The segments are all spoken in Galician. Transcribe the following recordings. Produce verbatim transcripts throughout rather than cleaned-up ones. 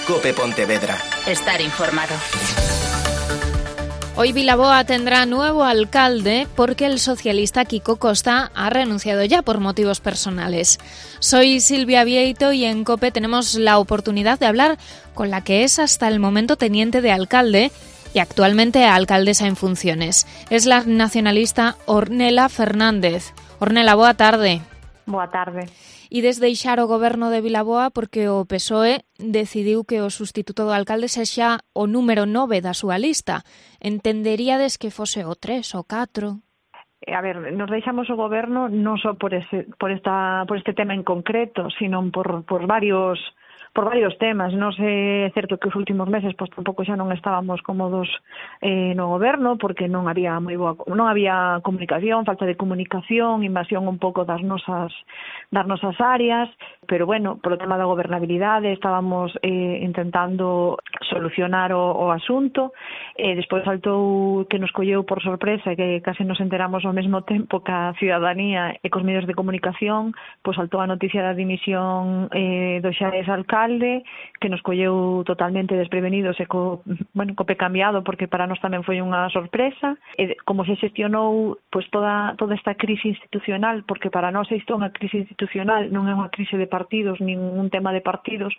COPE Pontevedra. Estar informado. Hoy Vilaboa tendrá nuevo alcalde porque el socialista Quico Costa ha renunciado ya por motivos personales. Soy Silvia Vieito y en COPE tenemos la oportunidad de hablar con la que es hasta el momento teniente de alcalde y actualmente alcaldesa en funciones. Es la nacionalista Ornella Fernández. Ornella, boa tarde. Boa tarde. E desde deixar o goberno de Vilaboa porque o P S O E decidiu que o sustituto do alcalde sexa o número nove da súa lista. Entenderíades que fose o tres ou catro? A ver, nos deixamos o goberno non só por ese, por esta, por este tema en concreto, sino por, por varios por varios temas. Non sei, é certo que os últimos meses pois tampouco xa non estábamos cómodos eh, no goberno porque non había moi boa, non había comunicación, falta de comunicación, invasión un pouco das nosas das nosas áreas, pero bueno, polo tema da gobernabilidade estábamos eh, intentando solucionar o, o asunto. Eh, despois saltou que nos colleu por sorpresa que case nos enteramos ao mesmo tempo que a ciudadanía e cos medios de comunicación, pois saltou a noticia da dimisión eh, do xa exalcalde, que nos colleu totalmente desprevenidos e co, bueno, co pé cambiado, porque para nós tamén foi unha sorpresa. E como se xestionou pois toda toda esta crise institucional, porque para nós isto é unha crise institucional, non é unha crise de partidos, nin un tema de partidos,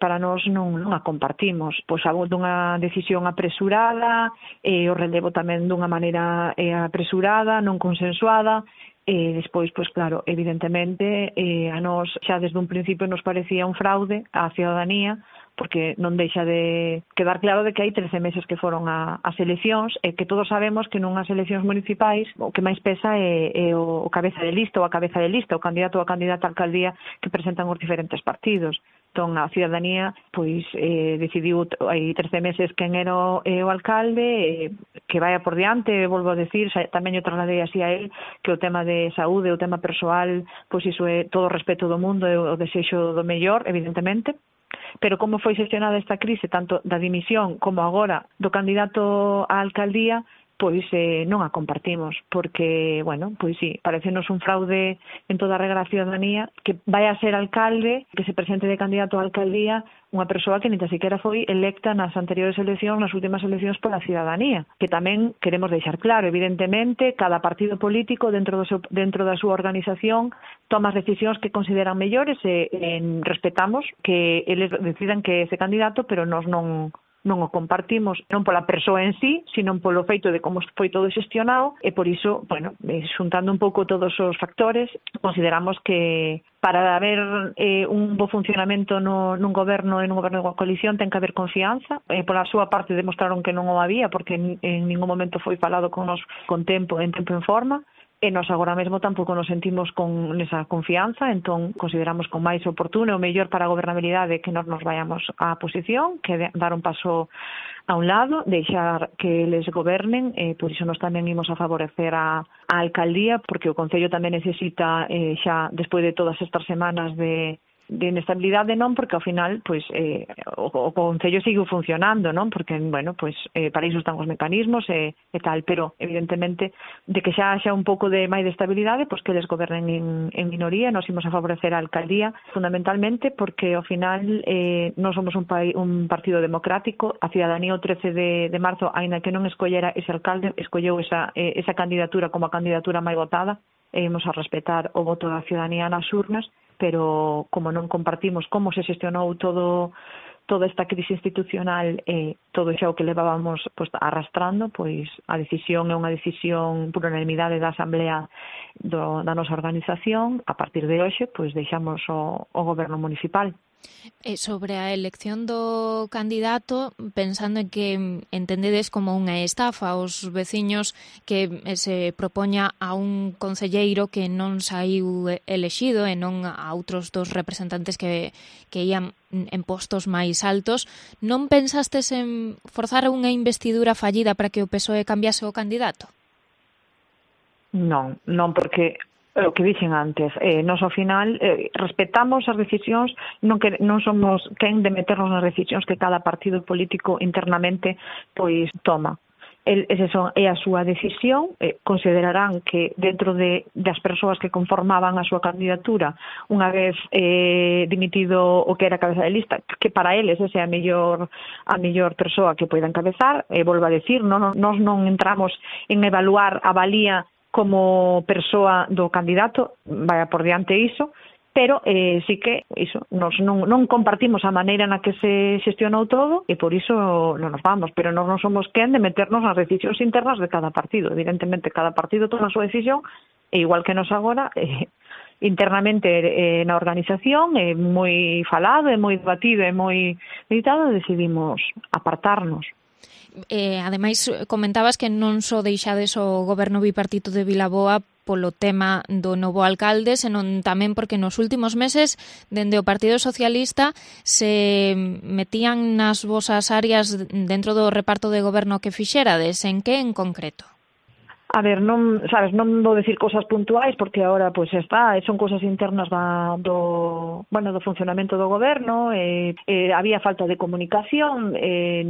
para nós non, non a compartimos. Pois algo dunha decisión apresurada, e o relevo tamén dunha maneira eh, apresurada, non consensuada. E despois, pois claro, evidentemente, eh, a nós xa desde un principio nos parecía un fraude á ciudadanía, porque non deixa de quedar claro de que hai trece meses que foron a, as eleccións e que todos sabemos que nunhas eleccións municipais o que máis pesa é, é o, o cabeza de lista ou a cabeza de lista, o candidato ou a candidata á alcaldía que presentan os diferentes partidos. Entón, a ciudadanía pois eh, decidiu hai trece meses quen era o, eh, o alcalde, eh, que vaya por diante, volvo a decir, xa, tamén eu trasladei así a él, que o tema de saúde, o tema persoal, pois iso é todo o respeto do mundo e o desexo do mellor, evidentemente. Pero como foi xestionada esta crise, tanto da dimisión como agora do candidato á alcaldía, pois eh, non a compartimos, porque, bueno, pois sí, parecenos un fraude en toda a regra da ciudadanía que vai a ser alcalde, que se presente de candidato á alcaldía unha persoa que nin tan siquiera foi electa nas anteriores eleccións, nas últimas eleccións pola ciudadanía, que tamén queremos deixar claro, evidentemente, cada partido político dentro do seu, dentro da súa organización toma as decisións que consideran mellores e, e respetamos que eles decidan que ese candidato, pero nós non non o compartimos, non pola persoa en sí, sino polo feito de como foi todo xestionado, e por iso, bueno, xuntando un pouco todos os factores, consideramos que para haber eh, un bo funcionamento no, nun goberno e nun goberno de coalición ten que haber confianza. Eh, pola súa parte demostraron que non o había, porque en, en ningún momento foi falado con nos con tempo, en tempo en forma. E nós agora mesmo tampouco nos sentimos con esa confianza, entón consideramos con máis oportuno o mellor para a gobernabilidade que nós nos vayamos á posición, que de, dar un paso a un lado, deixar que eles gobernen, e por iso nós tamén imos a favorecer a, a alcaldía, porque o Concello tamén necesita, eh, xa despois de todas estas semanas de de inestabilidade, non, porque ao final pois eh, o, o Concello sigue funcionando, non, porque, bueno, pois eh, para iso están os mecanismos e, e tal, pero evidentemente de que xa xa un pouco de máis de estabilidade, pois que eles gobernen en, en minoría. Nos imos a favorecer a alcaldía fundamentalmente porque ao final eh, non somos un, pai, un partido democrático. A ciudadanía o trece de, de marzo, aínda que non escollera ese alcalde, escolleu esa, eh, esa candidatura como a candidatura máis votada, e imos a respetar o voto da ciudadanía nas urnas, pero como non compartimos como se xestionou todo toda esta crise institucional e todo xa o que levábamos pois, arrastrando, pois a decisión é unha decisión por unanimidade da Asamblea do, da nosa organización. A partir de hoxe, pois deixamos o, o goberno municipal. E sobre a elección do candidato, pensando en que entendedes como unha estafa aos veciños que se propoña a un concelleiro que non saiu elexido e non a outros dos representantes que, que ian en postos máis altos, non pensastes en forzar unha investidura fallida para que o P S O E cambiase o candidato? Non, non, porque o que dixen antes, eh, nos ao final eh, respetamos as decisións, non que non somos quen de meternos nas decisións que cada partido político internamente pois toma. el, ese son, é a súa decisión, eh, considerarán que dentro de, das persoas que conformaban a súa candidatura, unha vez eh, dimitido o que era cabeza de lista, que para eles esa é a mellor a mellor persoa que poida encabezar, e eh, volvo a decir, non, nós non entramos en evaluar a valía como persoa do candidato, vaya por diante iso, pero eh, sí que iso, nos non, non compartimos a maneira na que se xestionou todo e por iso non nos vamos, pero nós non somos quen de meternos nas decisións internas de cada partido. Evidentemente, cada partido toma a súa decisión, e igual que nos agora, eh, internamente eh, na organización, é eh, moi falado, é moi debatido, é moi meditado, decidimos apartarnos. Eh, ademais, comentabas que non só deixades o goberno bipartito de Vilaboa polo tema do novo alcalde, senón tamén porque nos últimos meses, dende o Partido Socialista, se metían nas vosas áreas dentro do reparto de goberno que fixerades. En que en concreto? A ver, non, sabes, non vou decir cosas puntuais porque agora pois pues, está, son cosas internas da, do, bueno, do funcionamento do goberno, eh, eh, había falta de comunicación, eh,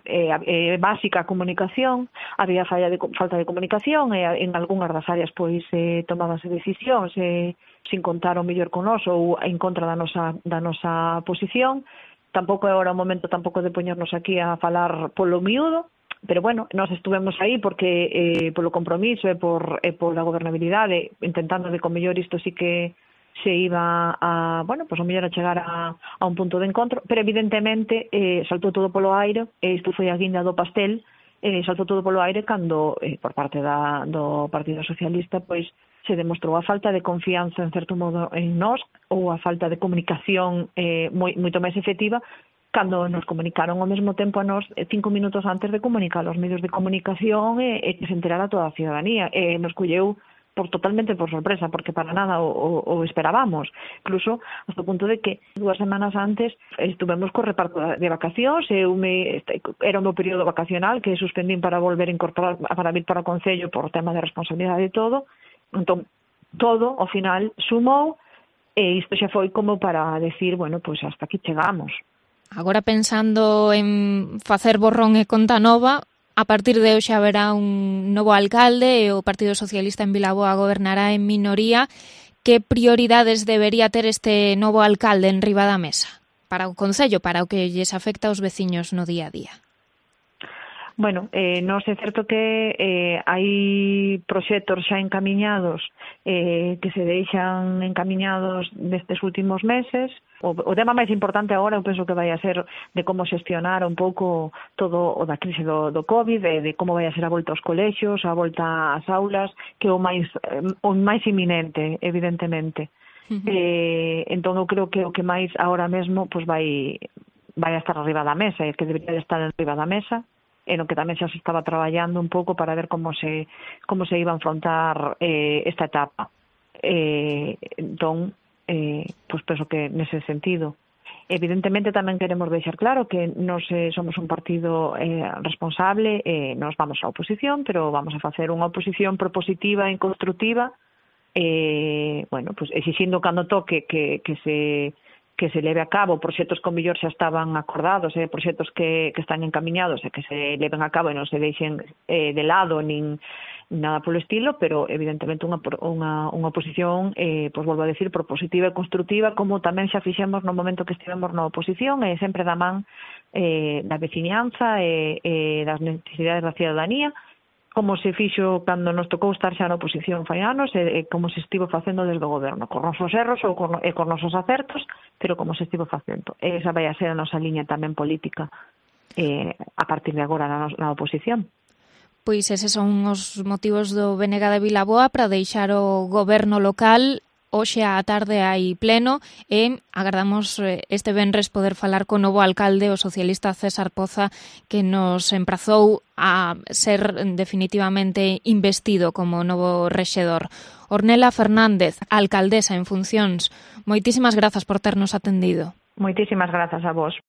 eh, eh, básica comunicación, había falla de, falta de comunicación, e eh, en algunhas das áreas pois eh, tomábanse decisións eh, sin contar o mellor con nós ou en contra da nosa, da nosa posición. Tampouco é agora o momento tampouco de poñernos aquí a falar polo miúdo, pero bueno, nós estuvemos aí porque eh, polo compromiso e por, e pola gobernabilidade, intentando de con mellor isto sí que se iba a, bueno, pues o mellor a chegar a, a un punto de encontro, pero evidentemente eh, saltou todo polo aire, e isto foi a guinda do pastel, eh, saltou todo polo aire cando, eh, por parte da, do Partido Socialista, pois se demostrou a falta de confianza en certo modo en nós, ou a falta de comunicación eh, moi, moito máis efectiva, cando nos comunicaron ao mesmo tempo a nós cinco minutos antes de comunicar aos medios de comunicación e, e que se enterara toda a ciudadanía. E nos colleu por totalmente por sorpresa, porque para nada o, o, o esperábamos. Incluso hasta o punto de que dúas semanas antes estuvemos co reparto de vacacións, e eu me, era o meu período vacacional que suspendín para volver a incorporar, para vir para o Concello por tema de responsabilidade e todo. Entón, todo, ao final, sumou, e isto xa foi como para decir, bueno, pois hasta aquí chegamos. Agora pensando en facer borrón e conta nova, a partir de hoxe haberá un novo alcalde e o Partido Socialista en Vilaboa gobernará en minoría. Que prioridades debería ter este novo alcalde en riba da mesa para o Concello, para o que lles afecta aos veciños no día a día? Bueno, eh, non é certo que eh, hai proxectos xa encamiñados eh, que se deixan encamiñados nestes últimos meses. O, o tema máis importante agora eu penso que vai a ser de como xestionar un pouco todo o da crise do, do COVID, de, de como vai a ser a volta aos colexios, a volta ás aulas, que é o máis, eh, o máis inminente, evidentemente. Uh-huh. Eh, entón eu creo que o que máis agora mesmo pues, vai, vai a estar arriba da mesa, e que debería de estar arriba da mesa, en o que tamén xa se estaba traballando un pouco para ver como se como se iba a enfrontar eh, esta etapa. Eh, entón, eh, pois penso que nese sentido. Evidentemente tamén queremos deixar claro que nós eh, somos un partido eh, responsable, eh, nos vamos á oposición, pero vamos a facer unha oposición propositiva e constructiva, eh, bueno, pues exixindo cando toque que, que se que se leve a cabo proxectos con mellor xa estaban acordados, eh, proxectos que, que están encamiñados e que se leven a cabo e non se deixen eh, de lado nin nada polo estilo, pero evidentemente unha, unha, unha oposición, eh, pois volvo a decir, propositiva e constructiva, como tamén xa fixemos no momento que estivemos na oposición, e sempre da man eh, da veciñanza e eh, das necesidades da ciudadanía, como se fixo cando nos tocou estar xa na oposición fai anos, e, e como se estivo facendo desde o goberno, con nosos erros ou con, e con nosos acertos, pero como se estivo facendo. E esa vai a ser a nosa liña tamén política eh, a partir de agora na, na oposición. Pois eses son os motivos do B N G de Vilaboa para deixar o goberno local. Hoxe á tarde hai pleno e agardamos este venres poder falar co novo alcalde, o socialista César Poza, que nos emprazou a ser definitivamente investido como novo rexedor. Ornella Fernández, alcaldesa en funcións, moitísimas grazas por ternos atendido. Moitísimas grazas a vos.